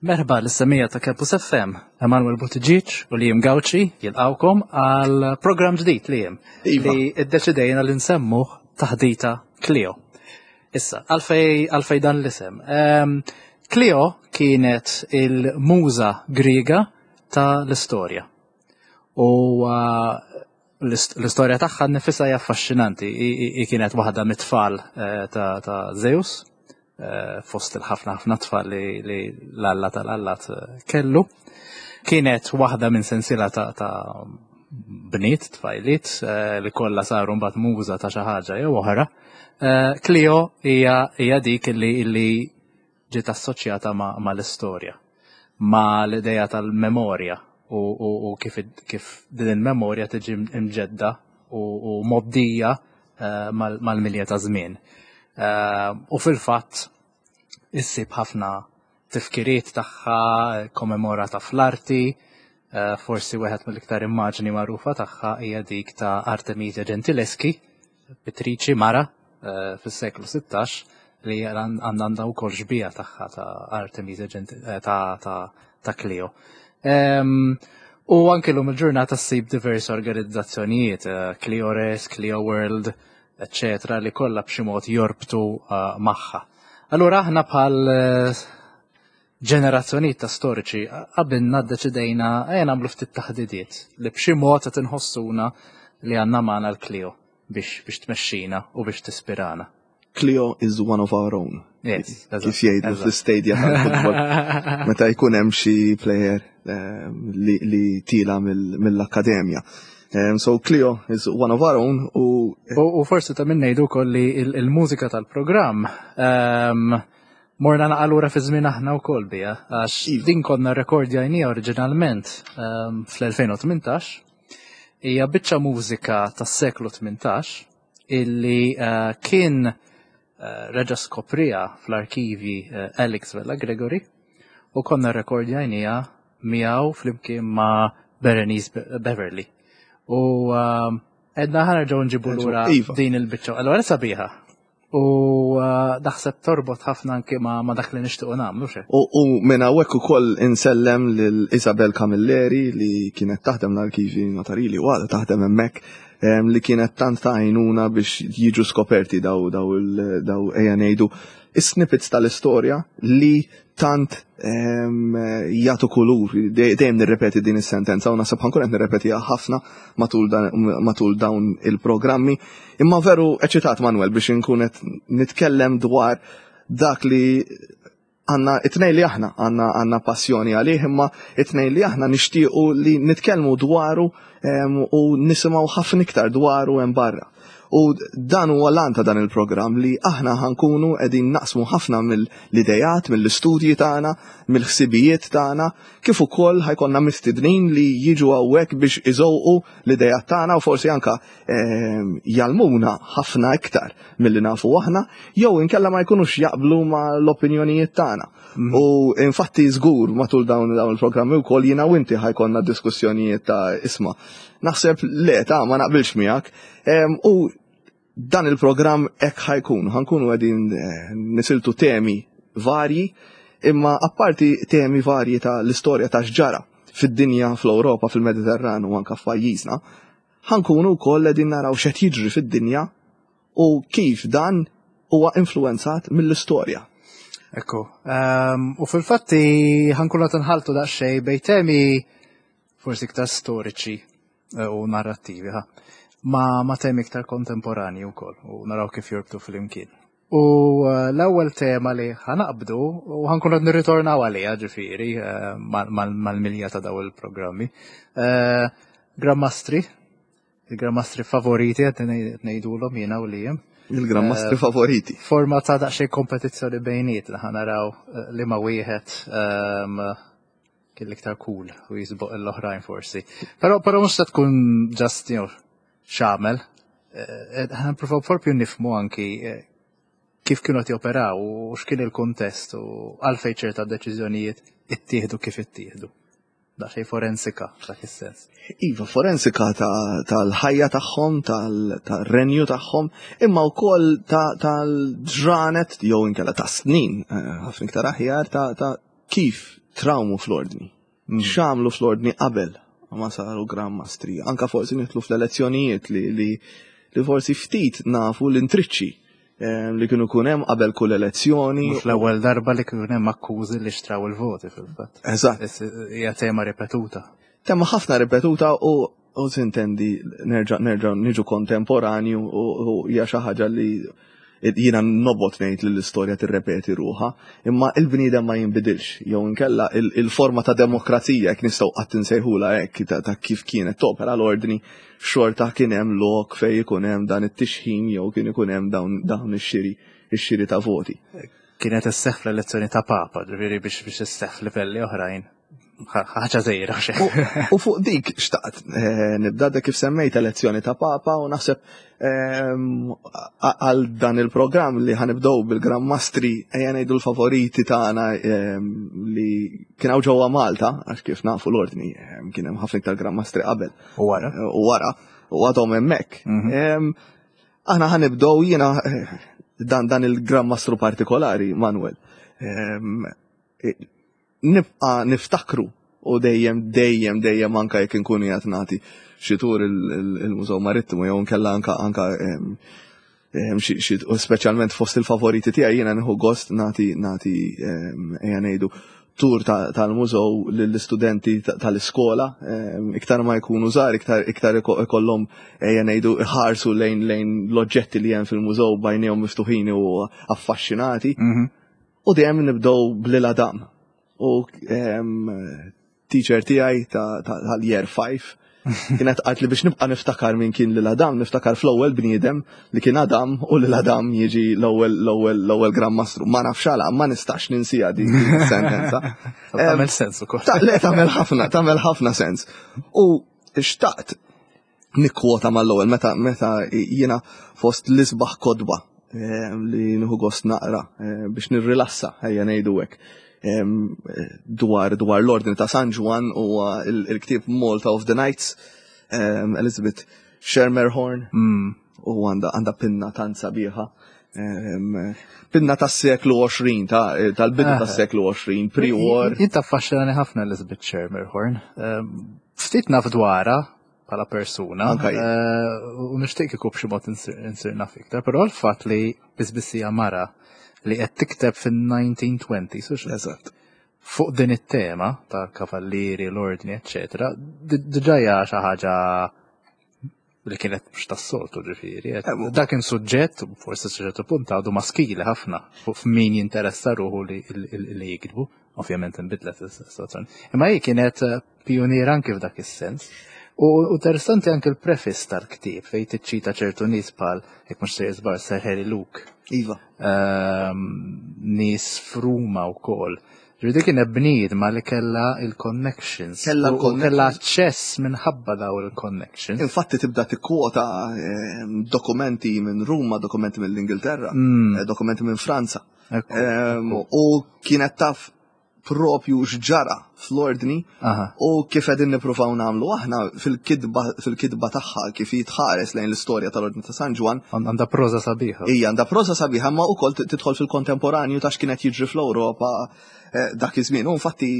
Merħba lis-semija ta' Campus FM, Emanuel Buttigieg u Liam Gauci jilqawkom għal programm ġdid Liam Iva. li iddeċidejna li nsemmuh taħdita Clio. Issa, għalfej għalfej dan l-isem. Ehm, Clio kienet il-muża Griega ta' l-istorja. U uh, l-istorja tagħha nifisha hija affaxxinanti. I kienet waħda mit-tfal eh, ta' Zeus, eh, fost il-ħafna ħafna tfal li l-alla tal-allat eh, kellu. Kienet waħda minn sensiela ta' bniet, tfajliet, li kollha saru mbagħad muża ta' xi ħaġa jew oħra. Clio hija dik li ġiet assoċjata ma' l-istorja, ma' l-idea tal-memorja u, u, u kif, kif din il-memorja tiġi mġedda u, u moddija uh, mal-milja ta' żmien. Uh, u fil-fatt issib ħafna tifkiriet tagħha kommemorata fl-arti, uh, forsi wieħed mill-iktar immaġni magħrufa tagħha hija dik ta' Artemisia Gentileschi, pittriċi mara eh, fis-seklu 16 li għandha għandha wkoll xbija tagħha ta' Artemisia eh, ta' ta' Clio. Ehm, u anke lum il-ġurnata ssib diversi organizzazzjonijiet, eh, Cliores, Clio World, eccetera, li kollha b'xi mod jorbtu magħha. Allura aħna bħal ġenerazzjonijiet ta' storiċi qabilna ddeċidejna ejja nagħmlu ftit taħdidiet li b'xi mod qed inħossuna li għandna magħna l-Clio biex biex tmexxina u biex tispirana. Clio is one of our own. Yes, kif jgħidu fl-istadia tal-futbol. Meta jkun hemm xi player eh, li, li tila mill-akkademja. Um, so Clio is one of our own u U, forsi ta' minn ngħidu wkoll li il-mużika tal-programm um, Morna naqa' lura fi żmien aħna wkoll biha, għax iva. din konna rekordjajnija oriġinalment ehm, fl-2018. Hija biċċa mużika tas-seklu 18 illi eh, kien eh, reġa' skoprija fl-arkivi eh, Alex Vella Gregory u konna rekordjajnija miegħu flimkien ma' Berenice Beverly. U ehm, edna ħarġgħu nġibu lura iva. din il-biċċa. Allora sabiħa. U uh, naħseb torbot ħafna anke ma, ma dak li nixtiequ nagħmlu xe. U, u minn hawnhekk ukoll insellem lil Isabel Camilleri li kienet taħdem l-arkivi notarili u għadha taħdem hemmhekk li kienet tant ta' għajnuna biex jiġu skoperti daw daw daw ejja ngħidu is-snippets tal-istorja li tant jagħtu kulur, dejjem nirrepeti din is-sentenza u naħseb ħankun qed nirrepetiha ħafna matul, matul dawn il-programmi. Imma veru eċitat Manuel biex inkun qed nitkellem dwar dak li għanna it-tnej li aħna għanna għanna passjoni għalih imma it-tnej li aħna nixtiequ li nitkellmu dwaru u nisimgħu ħafna iktar dwaru hemm barra. U dan huwa l ta' dan il-programm li aħna ħankunu qegħdin naqsmu ħafna mill-idejat, mill-istudji tagħna, mill-ħsibijiet tagħna, kif ukoll ħajkonna mistednin li jiġu hawnhekk biex iżewqu l-idejat tagħna u forsi anka ehm, jalmuna ħafna iktar milli nafu aħna, jew inkella ma jkunux jaqblu ma l-opinjonijiet tagħna. Mhm. U infatti żgur matul dawn dawn il-programmi wkoll jiena u inti ħajkonna diskussjonijiet ta' isma' Naħseb le ta' ma naqbilx miegħek. U dan il-programm hekk ħajkun, ħankunu qegħdin eh, nisiltu temi varji, imma apparti temi varji ta' l-istorja ta' x'ġara fid-dinja, fl-Ewropa, fil-Mediterran u anka f'pajjiżna, ħankunu wkoll qegħdin naraw x'qed jiġri fid-dinja u kif dan huwa influenzat mill-istorja. Ekku, um, u fil-fatti ħankunu qed nħaltu daqsxejn bejn temi forsi iktar storiċi eh, u narrattivi, ha. Ma, ma temi iktar kontemporani wkoll u naraw kif jorbtu flimkien. U eh, l-ewwel tema li ħanaqbdu u ħankun qed nirritornaw għaliha ġifieri eh, mal-milja ta' daw il-programmi. Grammastri, il-grammastri favoriti qed ngħidulhom jiena u lijem. Il-grammastri favoriti. Forma ta' daqsxejn kompetizzjoni bejniet li ħanaraw li ma wieħed ehm, kien l-iktar cool u jisboq l-oħrajn forsi. Però però mhux se tkun just you know, xamel. Eh, eh, ħa nippruvaw propju nifmu anki eh, kif kienu qed joperaw u x'kien il-kuntest u għalfejn ċerta deċiżjonijiet ittieħdu kif ittieħdu. Daqsxejn forensika f'dak is-sens. Iva, forensika tal-ħajja tagħhom, tal-renju tagħhom, imma wkoll tal-ġranet jew inkella ta' snin, ħafna iktar aħjar ta' kif trawmu fl-ordni. X'għamlu fl-ordni qabel ma saru Gran Mastri. Anka forsi nidħlu fl-elezzjonijiet li, li, li forsi ftit nafu l-intriċċi eh, li kienu kun hemm qabel kull elezzjoni. Mhux l-ewwel darba li kienu hemm akkużi li xtraw il-voti fil-fatt. Eżatt. Hija tema ripetuta. Tema ħafna ripetuta u u sintendi nerġa' nerġa' niġu kontemporanju u hija xi ħaġa li jiena nobgħod ngħid li l-istorja tirrepeti ruħha, imma il-bniedem ma jinbidilx, jew inkella il-forma ta' demokrazija jekk nistgħu qatt insejħulha hekk ta' kif kienet topera l-ordni, xorta kien hemm lok fejn ikun hemm dan it-tixħim jew kien ikun hemm dawn ix-xiri ix-xiri ta' voti. Kienet isseħħ fl-elezzjoni ta' Papa, ġifieri biex biex isseħħ f'livelli oħrajn. Ħaġa żgħira xi. U fuq dik xtaqt eh, nibda dak kif semmejt elezzjoni ta' Papa u naħseb ehm, għal dan il-programm li ħanibdew bil-Gran Mastri ejja ngħidu l-favoriti tagħna ehm, li kien hawn ġewwa Malta għax kif nafu l-ordni ehm, kien hemm ħafna iktar Gran Mastri qabel. U wara. Eh, u wara u għadhom hemmhekk. Mhm. Aħna ħanibdew jiena eh, dan dan il-Gran Mastru partikolari Manuel nibqa' niftakru u dejjem dejjem dejjem anka jekk inkun qiegħed nagħti xi tur il-Mużew Marittimu jew nkella anka anka xi speċjalment fost il-favoriti tiegħi jiena nieħu gost nagħti nagħti ejja ngħidu tur tal-mużew lill-istudenti tal-iskola iktar ma jkunu żgħar iktar iktar ikollhom ejja ngħidu iħarsu lejn lejn l-oġġetti li hemm fil-mużew b'għajnejhom miftuħin u affaxxinati. Mhm. U dejjem nibdew b'Lil Adam. U teacher tiegħi tal-year 5 kienet qalt li biex nibqa' niftakar min kien lil Adam, niftakar fl-ewwel bniedem li kien Adam u lil Adam jiġi l-ewwel l-ewwel l-ewwel Gran Mastru. Ma nafx għala, ma nistax ninsija din sentenza. Tagħmel sens ukoll. Le tagħmel ħafna, tagħmel ħafna sens. U xtaqt nikkwota mal-ewwel meta meta jiena fost l-isbaħ kotba eh, li nieħu gost naqra eh, biex nirrilassa ejja ngħidu hekk eh, dwar dwar l-Ordni ta' San Ġwann huwa il-ktieb Malta of the Knights Elizabeth Schermerhorn mm. u għandha għandha pinna tant sabiħa pinna tas-seklu 20 tal-bidu ah. tas-seklu 20 pre-war. Jien taffaxxinani ħafna Elizabeth Schermerhorn. Ftit naf dwarha bħala persuna. Eh, u nixtieq kieku b'xi mod insir naf iktar, però l-fatt li biss mara li qed tikteb fin-1920s, Eżatt. Fuq din it-tema ta' kavallieri, l-ordni, eċċetera, diġà hija xi ħaġa li kienet mhux tas-soltu ġifieri. Eh, dak kien suġġett, forsi ċertu punt għadu maskili ħafna fuq min jinteressa ruħu li jiktbu, ovvjament inbidlet is-situazzjoni. Imma hi kienet eh, pioniera anki f'dak is-sens. U interessanti anke l-preface tal-ktieb fejn tiċċita ċertu nies bħal jekk mhux se jiżbar Sir Harry Luke. Iva. Ehm, nies f'Ruma wkoll. Ġifieri kienet bniedma li kellha il-connections. Kellha l-connections. Kellha aċċess minħabba daw il-connections. Infatti tibda tikkwota ehm, dokumenti minn Ruma, dokumenti mill-Ingilterra, mm. eh, dokumenti minn Franza. Ehm, u kienet taf propju x'ġara fl-ordni u kif qegħdin nippruvaw nagħmlu aħna fil-kitba fil-kitba tagħha kif jitħares lejn l-istorja tal-Ordni ta' San Ġwann. Għandha proża sabiħa. Hija għandha proża sabiħa ma wkoll tidħol fil-kontemporanju ta' x'kienet jiġri fl-Ewropa eh, dak iż-żmien. U infatti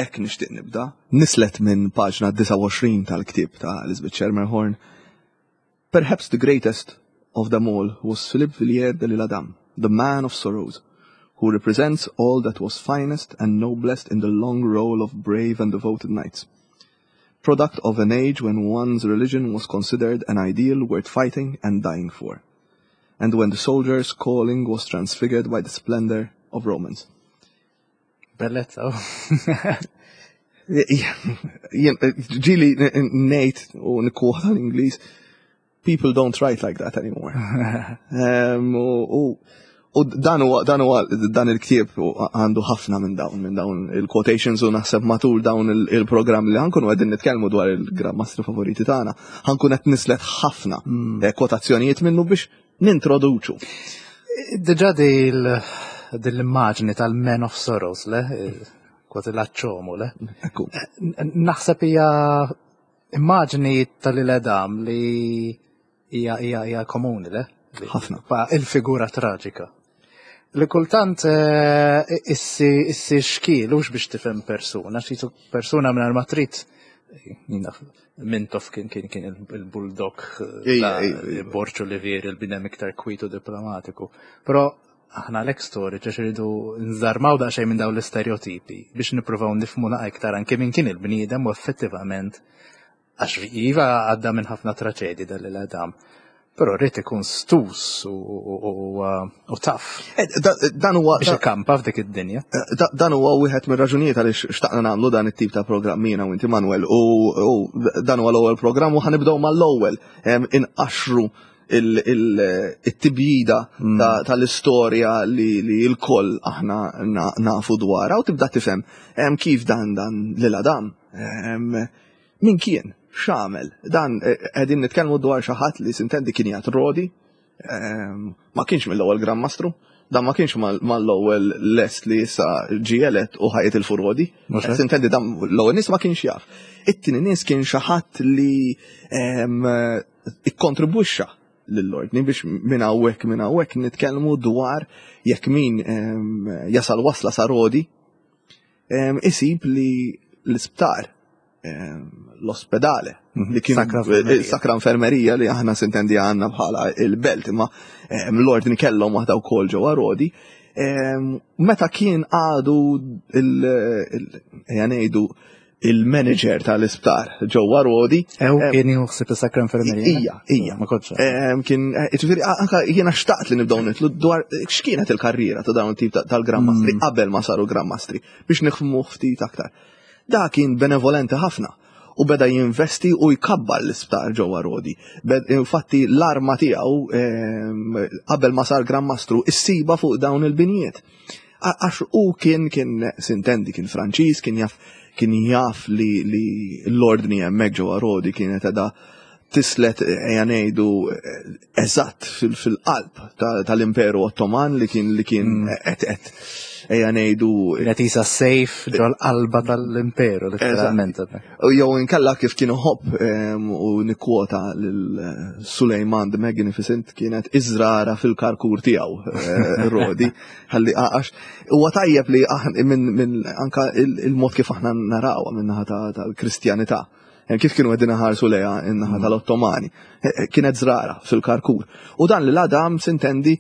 hekk nixtieq nibda. Nislet minn paġna 29 tal-ktieb ta' Elizabeth Schermerhorn. Perhaps the greatest of them all was Philippe Villiers de l'Isle-Adam, the man of sorrows, who represents all that was finest and noblest in the long roll of brave and devoted knights. Product of an age when one's religion was considered an ideal worth fighting and dying for, and when the soldier's calling was transfigured by the splendor of romance. Bellezza. Ġili ngħid u nikkwota l-Ingliż, people don't write like that anymore. U dan huwa dan huwa dan il-ktieb għandu ħafna minn dawn minn dawn il-quotations u naħseb matul dawn il-programm li ħankunu qegħdin nitkellmu dwar il-grammastri favoriti tagħna, ħankun qed nislet ħafna mm. eh, kwotazzjonijiet minnu biex nintroduċu. Diġà dil-immaġni tal-Man of Sorrows, le? Kważi l-aċċomu, le? Ekku. Naħseb hija immaġni tal-iledam li hija hija hija komuni, le? Ħafna. Il-figura traġika. Li kultant eh, issi issi xkiel hux biex tifhem persuna, xi persuna mingħajr ma trid Mintoff kien kien kien il-bulldog eh, Borċu Olivier il-bidem iktar kwitu diplomatiku. Però aħna l storiċi għax irridu nżarmaw daqsxejn minn dawn l-istereotipi biex nippruvaw nifhmu naqa iktar anke minn kien il-bniedem u effettivament għax iva għadda minn ħafna traċedji dal l-Adam. Però rrid ikun stus u taf. Eh, dan huwa biex ikampa f'dik id-dinja. Eh, dan huwa wieħed mir-raġunijiet għaliex xtaqna nagħmlu dan it-tip ta' programm jiena u inti Manuel u dan huwa l-ewwel programm u ħanibdew mal-ewwel inqaxru il-tibjida mm. tal-istorja li l-koll aħna nafu dwarha u tibda tifhem kif dan dan lil Adam min kien x'għamel dan eh, qegħdin nitkellmu dwar xi ħadd li sintendi kien jgħid Rodi ma kienx mill-ewwel Gran Mastru dan ma kienx mal-ewwel lest li issa ġie elett u ħajet il-furodi. Sintendi dan l-ewwel nies ma kienx jaf. It-tieni nies kien xi ħadd li ikkontribwixxa lill-ordni biex minn hawnhekk minn hawnhekk nitkellmu dwar jekk min jasal wasla sa Rodi isib li l-isptar l-ospedale mhm. li kien eh, sakra infermerija li aħna sintendi għandna bħala il-belt imma l-ordni kellhom waħda wkoll ġewwa Rodi meta kien għadu il ngħidu il-manager tal-isptar ġewwa Rodi. Ew kien juħsib is-sakra infermerija. Ija, ija. Ma kontx. Kien, eh, ġifieri anka jiena xtaqt li nibdew nitlu dwar x'kienet il-karriera ta' dawn tip tal-Gran Mastri mm. qabel ma saru Gran Mastri biex nifhmu ftit aktar. Da kien benevolenti ħafna u beda jinvesti u jkabbar l-isptar ġewwa Rodi. Infatti l-arma tiegħu qabel ma sar Gran Mastru issiba fuq dawn il-binjiet. Għax u kien kien sintendi kien Franċiż, kien jaf kien jaf li, li l-ordni hemmhekk ġewwa Rodi kienet edha tislet ejja ngħidu eżatt fil-qalb tal-Imperu Ottoman li kien li kien mm. qed qed ejja ngħidu qed isa sejf ġol-qalba tal-Imperu letteralment. U jew inkella kif kien iħobb u nikkwota lil eh, Sulejman the Magnificent kienet iżrara fil-karkur tiegħu eh, Rodi. Ħalli għax huwa tajjeb li minn min anka il-mod kif aħna narawha min-naħa tal-Kristjanità. Eh, kif kienu qegħdin ħarsu lejha in-naħa mm. tal-Ottomani. Kienet żrara fil-karkur. U dan li l-Adam sintendi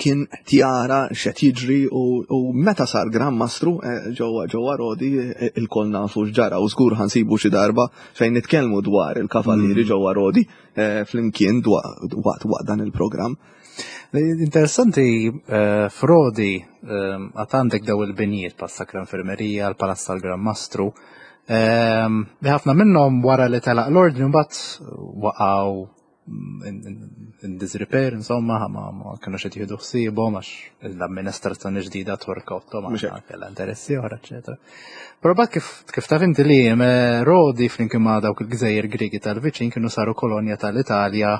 kien tjara x'qed jiġri u meta sar Gran Mastru eh, ġewwa ġewwa Rodi eh, il-koll nafu x'ġara u żgur ħansibu xi darba fejn nitkellmu dwar il-kavallieri mm. ġewwa Rodi eh, flimkien waqt waqt dan il-programm. Interessanti f'Rodi għad għandek daw il-binjiet pa' Sakra Infermerija, l-Palazz tal-Gran Mastru, li ħafna minnhom wara li telaq l-ordni mbagħad waqgħu in disrepair, insomma, ma, ma kienu xed jieħdu ħsiebhom għax l-amministrazzjoni ġdida Torka Ottomana kellha interessi oħra, eċetera. Però bad kif kif taf inti li eh, Rodi flimkien ma' dawk il-gżejjer Griegi tal-viċin kienu saru kolonja tal-Italja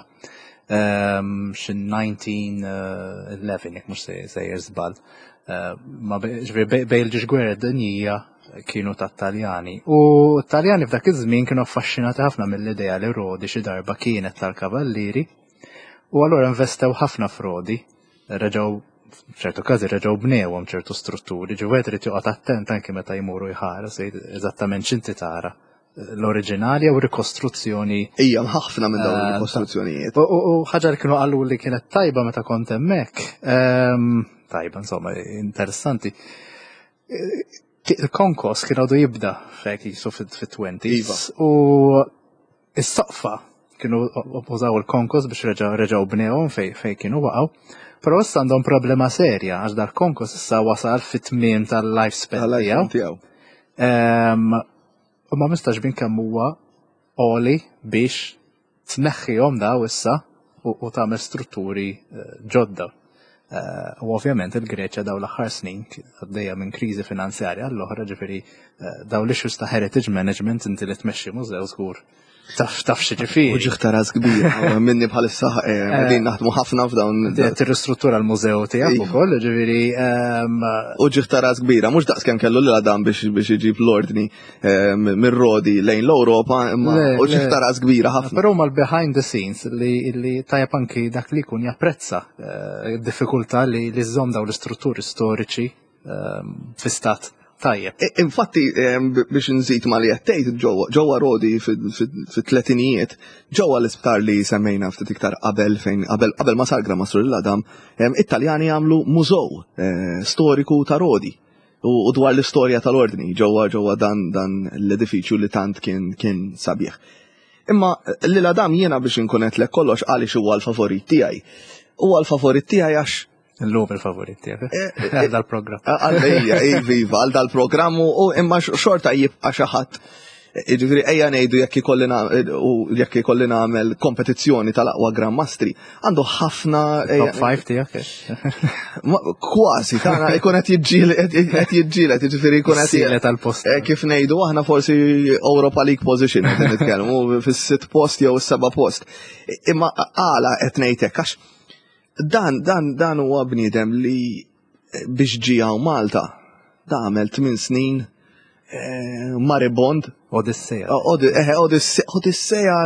ehm, xi 1911 jekk mhux sejjer żball. Eh, ma ġifieri bejn il-ġiex gwerra dinjija kienu tat-Taljani. U t-Taljani f'dak iż-żmien kienu affaxxinati ħafna mill-idea li Rodi xi darba kienet tal-Kavallieri u allura investew ħafna f'Rodi, reġgħu f'ċertu każi reġgħu bnewhom ċertu strutturi, ġi wieħed irid joqgħod attent anki meta jmuru jħares eżattament x'inti tara l-oriġinali jew rikostruzzjoni. Ija, ħafna minn dawn eh, il-rikostruzzjonijiet. U ħaġa li kienu qalu li kienet tajba meta kont hemmhekk, ehm, tajba insomma, interessanti. Il-konkos kien għadu jibda fek jisu fit-20s. Iva. U is-soqfa kienu użaw il-konkos biex reġaw bnewhom fej fej kienu waqgħu. Però issa għandhom problema serja għax dal-konkos issa wasal fit-tmiem tal-lifespan tiegħu. Ehm, u ma mistax bin kemm huwa għoli biex tneħħihom daw issa u tagħmel strutturi eh, ġodda. Eh, u ovvjament il-Greċja daw l-aħħar snin għaddejja minn kriżi finanzjarja l-oħra ġifieri eh, daw l-issues ta' heritage management inti li tmexxi mużew żgur. Taf taf xi ġifieri. Uġigħ ta' ras kbir, minni bħalissa eh, eh, qegħdin naħdmu ħafna f'dawn. Tirristruttura l-mużew tiegħek ukoll, ġifieri. Ehm, Uġigħ ta' ras kbira, mhux daqs kemm kellu lil Adam biex biex iġib l-ordni ehm, mir-Rodi lejn l-Ewropa, imma uġigħ ta' ras kbira ħafna. Però mal behind the scenes li li tajjeb anki dak li jkun japprezza eh, d-diffikultà li li żżomm dawn l-istrutturi storiċi ehm, fi stat tajjeb. Infatti, ehm, biex nżid ma li għattejt ġewwa Rodi fit-tletinijiet, ġewwa l-isptar li semmejna ftit iktar qabel fejn qabel qabel ma sar Gran Mastru l-Adam, ehm, it-Taljani għamlu mużew eh, storiku ta' Rodi u dwar l-istorja tal-ordni ġewwa ġewwa dan dan l-edifiċju li tant kien kien sabiħ. Imma lil Adam jiena biex inkun qed kollox għaliex huwa l-favorit tiegħi. Huwa l-favorit tiegħi għax Illum il-favorit tiegħek. Eh, eh, għal dal-programm. Għal viva, għal dal-programm u imma xorta jibqa' xi ħadd. Jiġifieri ejja ngħidu jekk ikolli u jekk ikolli nagħmel kompetizzjoni tal-aqwa Grand Mastri, għandu ħafna. Top 5 tiegħek. Kważi, tagħna ikun qed jiġġieled qed jiġġieled, jiġifieri jkun qed tal-post. Eh, kif ngħidu aħna forsi Europa League position qed nitkellmu fis-sitt post jew is-seba' post. Imma għala qed ngħidlek għax Dan, dan, dan huwa bniedem li eh, biex ġie hawn Malta, da għamel 8 snin eh, maribond. Odisseja. Eh, Odisseja,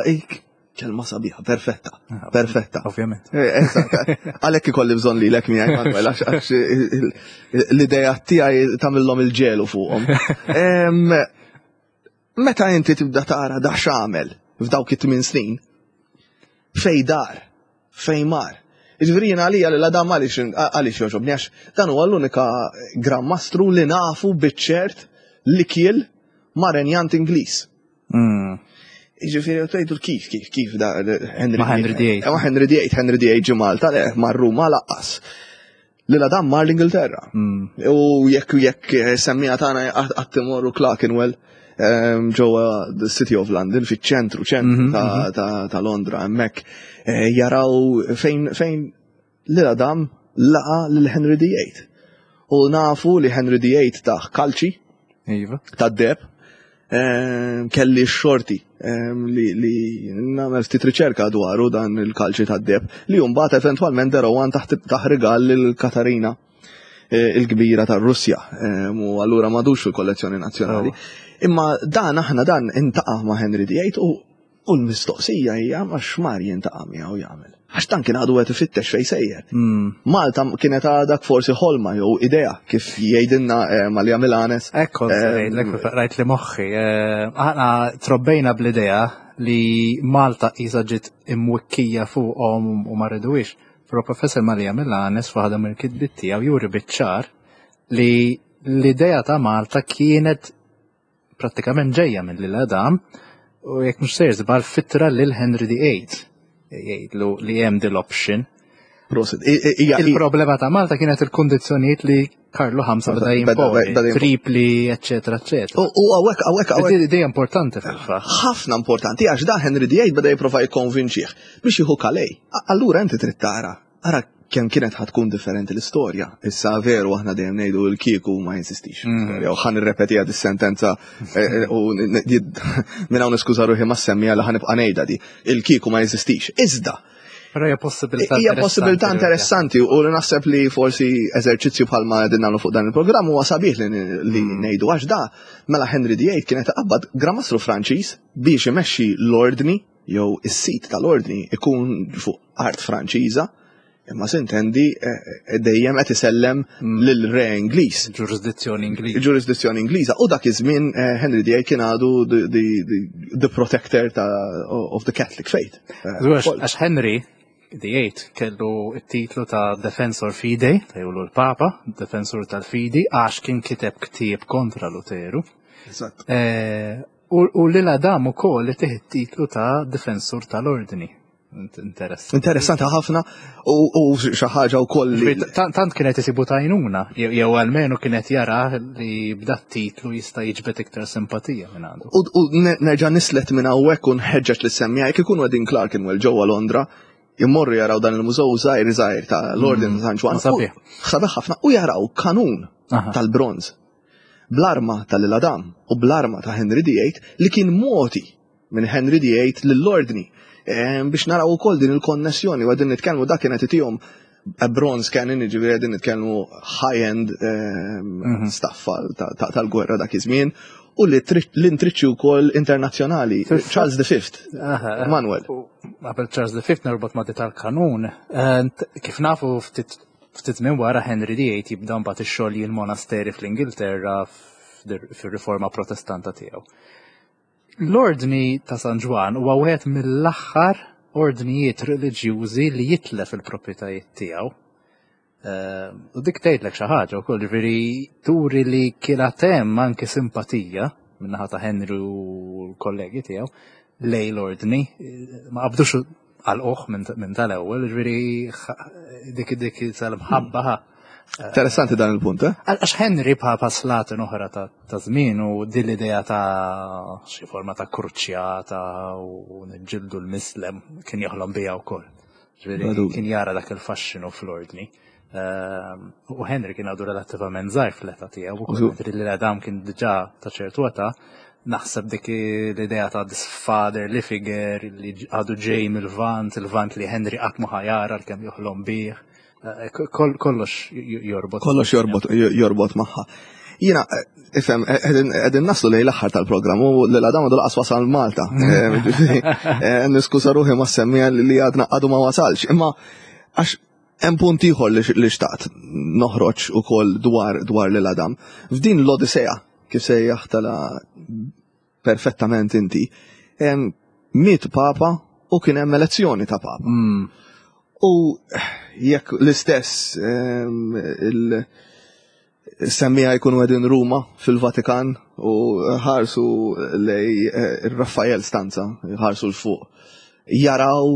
kelma sabiħa, perfetta, ah, perfetta. Ovvjament. Għalhekk ikolli bżonn lilek miegħi Manuel, għax l-idea tiegħi tagħmilhom il-ġelu fuqhom. Meta inti tibda tara da x'għamel f'dawk it-tmien snin, fej dar, fej mar. Jiġifieri jiena għalija li l-Adam għaliex għaliex jogħġobni għax dan huwa l-unika Gran Mastru li nafu biċ-ċert li kiel ma' renjant Ingliż. Mm. Jiġifieri tgħidu kif kif kif da Henry Ma' Henry VIII. Ma' Henry VIII, Henry VIII ġie Malta, le, mar Ruma laqqas. Lil Adam mar l-Ingilterra. Mm. U jekk jekk eh, semmija tagħna qatt imorru Clerkenwell ehm, ġewwa the City of London fiċ-ċentru ċentru mhm, mhm. ta' Londra hemmhekk eh, jaraw fejn fejn lil Adam laqa lil Henry VIII. U nafu li Henry VIII taħ kalċi iva. ta' deb Ehm, kelli x-xorti ehm, li, li nagħmel ftit riċerka dwaru dan il-kalċi tad-deb li mbagħad eventwalment derowan taħt taħ rigal lil Katarina eh, il-kbira tar-Russja ehm, u allura madux fil-kollezzjoni nazzjonali. Oh. Imma dan aħna dan intaqa' ma' Henry VIII u U l-mistoqsija hija ma x'mar jintaqa' miegħu jagħmel. Għax dan kien għadu qed ifittex fejn sejjer. Hmm. Malta kienet għadak forsi ħolma jew idea kif jgħidilna eh, Malja Milanes. Ekku, eh, rajt li moħħi. Eh, aħna trobbejna bl-idea li Malta qisha ġiet imwikkija fuqhom u ma rridux. Però Professor Malja Milanes f'waħda mill-kitbiet tiegħu juri biċ-ċar li l-idea ta' Malta kienet prattikament ġejja minn lil Adam u jekk mhux sejr żball fittra lil Henry VIII jgħidlu li hemm dil option. Prosit. Il-problema ta' Malta kienet il-kundizzjonijiet li Karlu V beda jimponi, tripli, eccetera, eccetera. U għawek, għawek, għawek. Di importanti fil-fatt. Ħafna importanti, għax da Henry VIII beda jipprova jikkonvinċih biex jieħu Calais. Allura inti trid tara Ara kemm kienet ħa tkun differenti l-istorja. Issa veru aħna dejjem ngħidu l-kieku ma jinsistix. Mm. Jew ħa nirrepetiha dis-sentenza eh, eh, u minn hawn niskuża ruħi ma semmija li ħa nibqa' ngħidha di. Il-kieku ma jeżistix. Iżda Però hija possibilità Hija possibilità interessanti u li naħseb li forsi eżerċizzju bħalma qegħdin nagħmlu fuq dan il-programm huwa sabiħ li mm. ngħidu għax da mela Henry VIII kienet qabad Gran Mastru Franċiż biex imexxi l-ordni jew is-sit tal-ordni ikun fuq art Franċiża, imma sintendi eh, eh, dejjem qed isellem mm. lil re Ingliż. Ġurisdizzjoni Ingliża. Ġurisdizzjoni Ingliża. U dak iż-żmien eh, Henry VIII kien għadu the protector ta' of the Catholic faith. Għax Henry VIII kellu t-titlu ta' Defensor Fidei, ta' jgħulu l-Papa, Defensor tal-Fidi, għax kien kiteb ktieb kontra Luteru. Eżatt. U lil Adam ukoll itih it-titlu ta' difensur tal-ordni. Interessanti. Interessanti ħafna u xi ħaġa wkoll li. Tant kienet isibu tajnuna, jew almenu kienet jara li b'dat titlu jista' jiġbed iktar simpatija minn għandu. U nerġa' nislet minn hawnhekk u nħeġġeġ lis-semmiegħa jekk ikunu qegħdin Clerkenwell ġewwa Londra, immorru jaraw dan il-mużew żgħir żgħir ta' l-Ordni ta' San Ġwann. Sabiħ. Sabiħ ħafna u jaraw kanun tal-bronż bl-arma ta' Lil Adam u bl-arma ta' Henry VIII li kien mogħti. minn Henry VIII lill-ordni. Biex naraw ukoll din il-konnessjoni u qegħdin nitkellmu dak kienet itihom a bronze cannon, jiġifieri qegħdin nitkellmu high-end stuff tal-gwerra dak iż-żmien u li l-intriċċi wkoll internazzjonali. Charles V. Manuel. Qabel Charles V norbot ma' tal-kanun, kif nafu ftit ftit minn wara Henry VIII jibda mbagħad ix-xogħol l-monasteri fl-Ingilterra fir-riforma protestanta tiegħu. L-Ordni ta' San Ġwann huwa wieħed mill-aħħar ordnijiet reliġjużi li jitlef il-proprjetajiet tiegħu. U dik tgħidlek xi ħaġa wkoll, ġifieri turi li kien hemm anke simpatija min-naħa ta' Henry u l-kollegi tiegħu lej l-ordni. Ma qabdux għal-oħ minn tal-ewwel, ġifieri dik tal-mħabba. Interessanti dan il-punt, eh? Għax Henry bħal slaten oħra ta' żmien u din l-idea ta' xi forma ta' kruċjata u niġġieldu l-mislem kien joħlom biha wkoll. Ġifieri kien jara dak il-faxxinu fl-ordni. U Henry kien għadu relattivament żgħir fl-età tiegħu, u mentri li l-Adam kien diġà ta' ċertu età, naħseb dik l-idea ta' this fatherly figure li għadu ġej mill-Lvant, il-Lvant li Henry qatt ma ħajara kemm joħlom bih. Kollox jorbot. Kollox jorbot, jorbot magħha. Jiena, ifhem, qegħdin naslu lejn l-aħħar tal-programm u l-Adam għadu laqas wasal Malta. Niskuża ruħi ma semmija li għadna għadu ma wasalx. Imma għax hemm punt ieħor li xtaqt noħroġ ukoll dwar lil Adam. F'din l-Odisea, kif sejjaħ tala perfettament inti, miet papa u kien hemm elezzjoni ta' papa. U jekk l-istess il-semmija jkunu qegħdin Ruma fil-Vatikan u ħarsu lej Raffael Stanza, ħarsu l-fuq, jaraw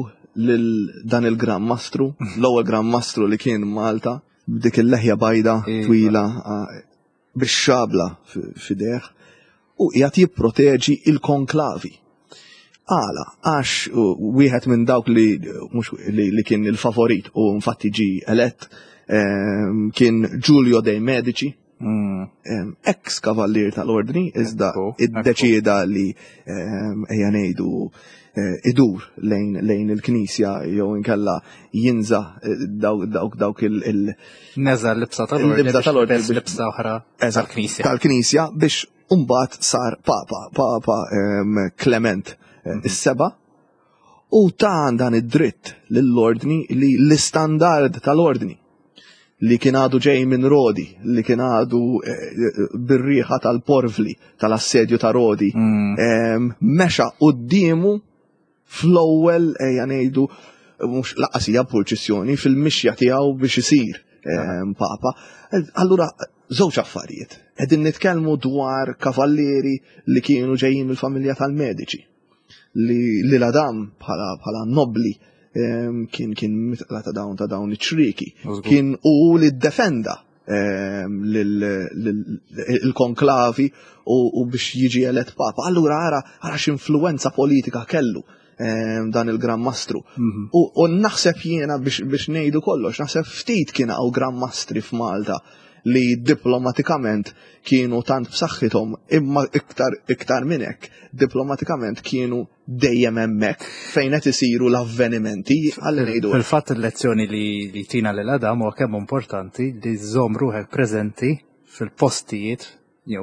lil dan il-Gran Mastru, l-ewwel Gran Mastru li kien Malta, b'dik il-leħja bajda twila, bix-xabla f'idejh u qiegħed jipproteġi il-konklavi. Għala, għax wieħed minn dawk li mhux li kien il-favorit u infatti ġi elett kien Giulio dei Medici, ex kavallier tal-ordni, iżda iddeċieda li ejja ngħidu idur lejn il-knisja jew inkella jinża dawk il- Neża l-libsa tal-ordni. Il-libsa tal-ordni biex libsa oħra tal-knisja. Tal-knisja biex mbagħad sar papa, Papa Clement is-seba', u ta' dan id-dritt lill-ordni li l-istandard tal-ordni li kien għadu ġej minn Rodi, li kien għadu bir-riħa tal-porvli tal-assedju ta' Rodi, mexa quddiemu fl-ewwel, ejja ngħidu, mhux laqas hija purċissjoni, fil-mixja tiegħu biex isir papa. Allura, żewġ affarijiet. Qegħdin nitkellmu dwar kavallieri li kienu ġejjin mill-familja tal-Medici, li l-Adam bħala nobli kien mitqla ta' dawn ta' dawn iċ-ċrieki. Kien u li ddefenda il-konklavi u biex jiġi elett papa. Allura ara x'influwenza politika kellu dan il-Gran Mastru. U naħseb jiena biex ngħidu kollox, naħseb ftit kien hawn Gran Mastri f'Malta li diplomatikament kienu tant b'saħħithom, imma iktar minn hekk, diplomatikament kienu dejjem hemmhekk fejn qed isiru l-avvenimenti għal ngħidu. Fil-fatt il-lezzjoni li tina lil Adam huwa kemm importanti li żżomm ruħek preżenti fil-postijiet,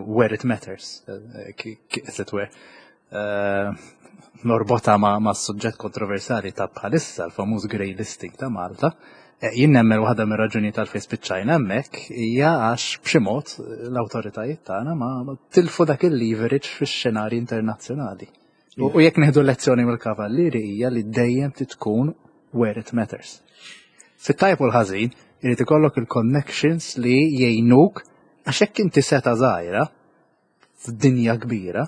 where it matters, as it were. Norbota ma' suġġett kontroversali ta' bħalissa, l-famuż grey listing ta' Malta. Jien nemmen waħda mir-raġuni tal-fejn spiċċajna hemmhekk hija għax b'xi mod l-awtoritajiet tagħna ma tilfu dak il-leverage fix-xenarji internazzjonali. U jekk nieħdu lezzjoni mill-kavallieri hija li dejjem tkun where it matters. Fit-tajb u l-ħażin, irid ikollok il-connections li jgħinuk għax hekk inti seta' żgħira f'dinja kbira,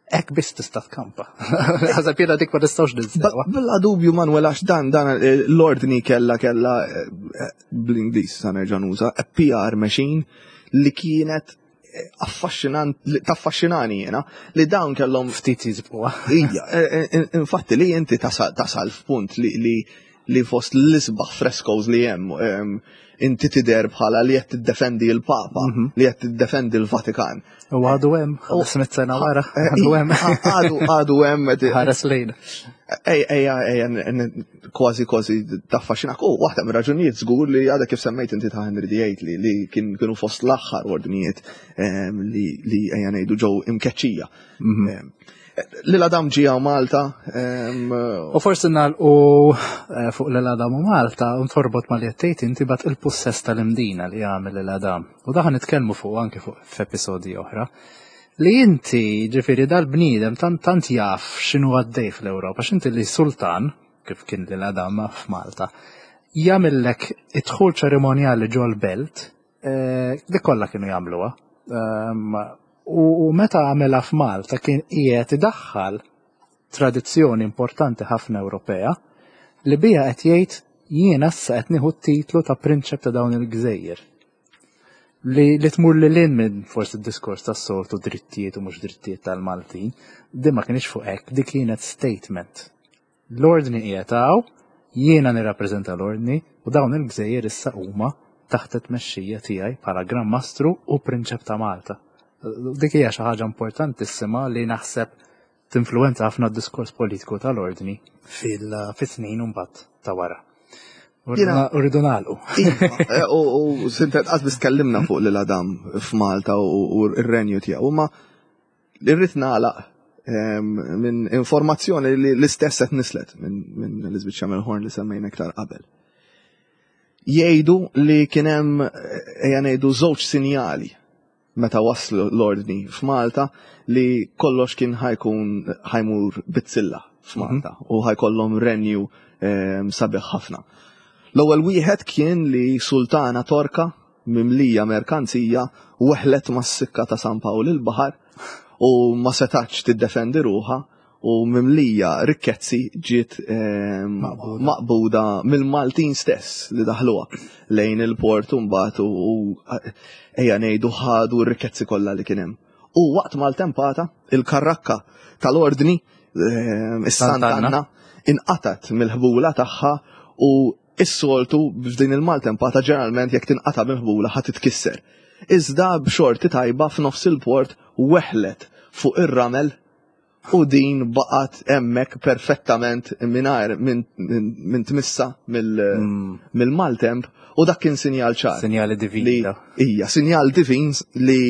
hekk biss tista' tkampa. Ħaseb jiena dik ma nistgħux ninsewa. Bla dubju Manuel, għax dan l-ordni kella bl-Ingliż sa nerġa' nuża, a PR machine li kienet affaxxinant, taffaxxinani jiena, li dawn kellhom ftit jizbuha. Ija, infatti li inti tasal f'punt li li fost l-isbaħ frescoes li hemm inti tidher bħala li qed tiddefendi l-Papa, li qed tiddefendi l-Vatikan. U għadu hemm, 500 sena wara, eh, għadu hemm. Għadu għadu hemm. Ħares lejn. Ej, ej, ej, kważi kważi taffaxxinak. U waħda mir-raġunijiet żgur li għadha kif semmejt inti ta' Henry VIII li li kienu fost l-aħħar ordnijiet li li ejja ngħidu ġew imkeċċija. Lil Adam ġie Malta. U forsi nagħlqu eh, fuq Lil Adam u Malta u torbot ma li qed inti bat il-pussess tal-Imdina li għamel Lil Adam. U daħan nitkellmu fuq anke fuq f'episodji oħra. Li inti ġifieri dal-bniedem tant tant jaf x'inhu għaddej fl-Ewropa, x'inti li sultan kif kien Lil Adam f'Malta, jagħmillek id-dħul ċerimonjali ġol-belt, eh, dik kollha kienu jagħmluha. Ehm, u meta għamela f'Malta kien qiegħed idaħħal tradizzjoni importanti ħafna Ewropea li biha qed jgħid jiena issa qed nieħu t-titlu ta' prinċep ta' dawn il-gżejjer. Li, li tmur li lin minn forsi d-diskors tas soltu drittijiet u mhux drittijiet tal-Maltin, din ma kienx fuq hekk, dik kienet statement. L-Ordni qiegħed hawn, jiena nirrappreżenta l-Ordni u dawn il-gżejjer issa huma taħt it-tmexxija tiegħi bħala Gran Mastru u Prinċep ta' Malta. Dik hija xi ħaġa importantissima li naħseb tinfluwenza ħafna d-diskors politiku tal-Ordni fil-snin mbagħad ta' wara. Uridu nagħlqu. Iva, eh, u sintet qas biss tkellimna fuq lil Adam f'Malta u r-renju tiegħu, ma Irrid nagħlaq ehm, minn informazzjoni li l-istess qed nislet minn Elizabeth Shamel-Horn li semmejna iktar qabel. Jgħidu li kien hemm ejja ngħidu żewġ sinjali meta waslu l-ordni f'Malta li kollox kien ħajkun ħajmur bizzilla f'Malta mhm. u ħajkollhom renju ehm, sabiħ ħafna. L-ewwel wieħed kien li sultana Torka mimlija merkanzija weħlet mas-sikka ta' San Pawl il-Baħar u ma setatx tiddefendi ruħha u mimlija rikkezzi ġiet ehm, maqbuda mill-Maltin stess li daħluha lejn il-port u mbagħad u ejja ngħidu ħadu r-rikkezzi kollha li kien hemm. U waqt maltempata il-karrakka tal-ordni ehm, is-Sant'Anna inqatat mill-ħbula tagħha u Is-soltu f'din il-maltempata ġeneralment jekk tinqata' mill-ħbula ħa titkisser. Iżda b'xorti tajba f'nofs il-port weħlet fuq ir-ramel u din baqgħet hemmhekk perfettament mingħajr minn tmissa mill-maltemp u dak kien sinjal ċar. Sinjali divin. Ija, sinjal divin li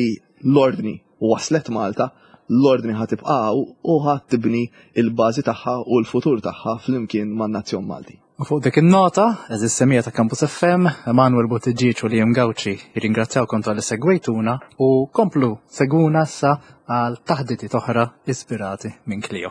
l-ordni waslet Malta, l-ordni ħa tibqa' u ħa tibni il-bażi tagħha u l-futur tagħha flimkien man-nazzjon Malti. U fuq dik in-nota, eżis semija ta' Campus FM, Emanuel Buttigieg u Liam Gauci jirringrazzjawkom tal-li segwejtuna u komplu segwuna issa għal taħditiet oħra ispirati minn Clio.